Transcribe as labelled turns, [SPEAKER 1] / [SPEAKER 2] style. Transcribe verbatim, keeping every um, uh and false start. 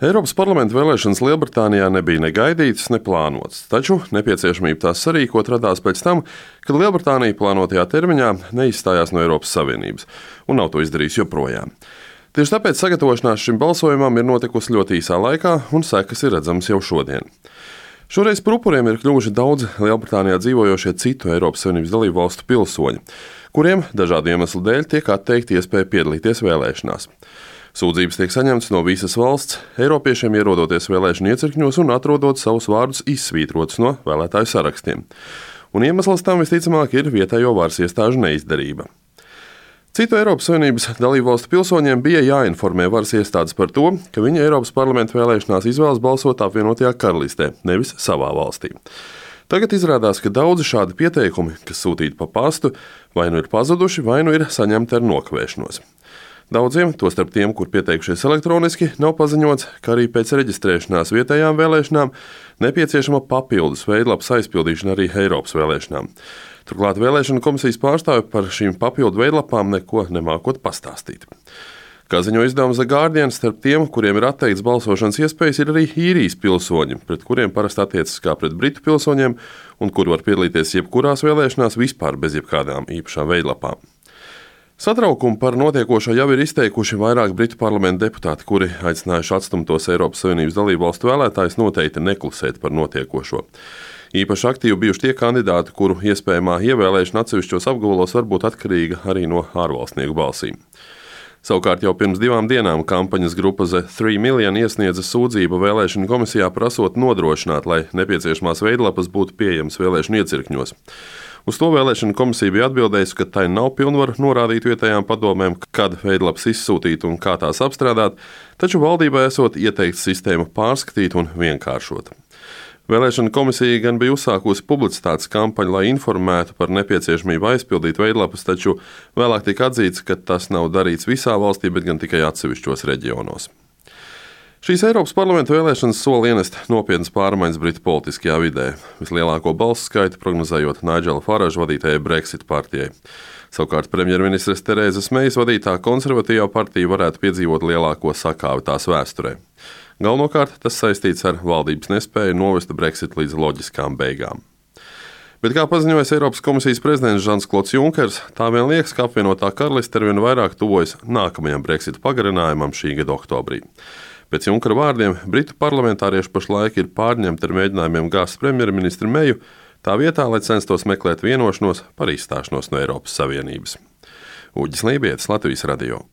[SPEAKER 1] Eiropas parlamenta vēlēšanas Lielbritānijā nebija ne gaidītas, ne plānotas, taču nepieciešamība tās sarīkot radās pēc tam, kad Lielbritānija plānotajā termiņā neizstājās no Eiropas Savienības un nav to izdarījusi joprojām. Tieši tāpēc sagatavošanās šim balsojumam ir notikusi ļoti īsā laikā, un sekas ir redzamas jau šodien. Šoreiz par upuriem ir kļuvuši daudzi Lielbritānijā dzīvojošie citu Eiropas Savienības dalību valstu pilsoņi, kuriem dažādu iemeslu dēļ tiek atteikta iespēja piedalīties vēlēšanās. Sūdzības tiek saņemtas no visas valsts, eiropiešiem ierodoties vēlēšanu iecirkņos un atrodot savus vārdus izsvītrotus no vēlētāju sarakstiem. Un iemesls tam visticamāk ir vietējo varas iestāžu neizdarība. Citu Eiropas Savienības dalību valstu pilsoņiem bija jāinformē varas iestādes par to, ka viņi Eiropas parlamenta vēlēšanās izvēlas balsot apvienotajā karalistē, nevis savā valstī. Tagad izrādās, ka daudzi šādi pieteikumi, kas sūtīti pa pastu, vai nu ir pazuduši, vai nu ir saņemti ar nokavēšanos. Daudziem, tostarp tiem, kur pieteikušies elektroniski, nav paziņots, ka arī pēc reģistrēšanās vietējām vēlēšanām nepieciešama papildus veidlapas aizpildīšana arī Eiropas vēlēšanām. Turklāt vēlēšanu komisijas pārstāvi par šīm papildu veidlapām neko nemākot pastāstīt. Kā ziņo izdevums The Guardian, starp tiem, kuriem ir atteikts balsošanas iespējas, ir arī īrijas pilsoņi, pret kuriem parasti attiecas kā pret britu pilsoņiem un kuri var piedalīties jebkurās vēlēšanās vispār bez jebkādām īpašām veidlapām. Satraukumu par notiekošo jau ir izteikuši vairāk britu parlamenta deputāti, kuri aicinājuši atstumtos Eiropas Savienības dalību valstu vēlētājus noteikti neklusēt par notiekošo. Īpaši aktīvi bijuši tie kandidāti, kuru iespējamā ievēlēšana atsevišķos apgabalos var būt atkarīga arī no ārvalstnieku balsīm. Savukārt jau pirms divām dienām kampaņas grupa The Three Million iesniedza sūdzību vēlēšanu komisijā prasot nodrošināt, lai nepieciešamās veidlapas būtu pieejamas vēlēšanu iecirkņos. Uz to vēlēšanu komisija bija atbildējusi, ka tai nav pilnvaru norādīt vietējām padomēm, kad veidlapas izsūtīt un kā tās apstrādāt, taču valdībai esot ieteikts sistēmu pārskatīt un vienkāršot. Vēlēšana komisija gan bija uzsākusi publicitātes kampaņu, lai informētu par nepieciešamību aizpildīt veidlapas, taču vēlāk tika atzīts, ka tas nav darīts visā valstī, bet gan tikai atsevišķos reģionos. Šīs Eiropas parlamenta vēlēšanas sola ienest nopietnas pārmaiņas Britu politiskajā vidē, vislielāko balsu skaitu prognozējot Nigela Faragea vadītajai Brexit partijai. Savukārt premjerministres Terēzes Meijas vadītā konservatīvā partija varētu piedzīvot lielāko sakāvi tās vēsturē. Galvenokārt tas saistīts ar valdības nespēju novest Brexit līdz loģiskām beigām. Bet, kā paziņojas Eiropas komisijas prezidents Žans-Klods Junkers, tā vien liekas, ka apvienotā karaliste arvien vairāk tuvojas nākamajam Brexit pagarinājumam šī gada oktobrī. Pēc Junkera vārdiem britu parlamentārieši pašlaik ir pārņemti ar mēģinājumiem gāzt premjerministru Meiju, tā vietā, lai censtos meklēt vienošanos par izstāšanos no Eiropas Savienības. Uģis Lībietis, Latvijas radio.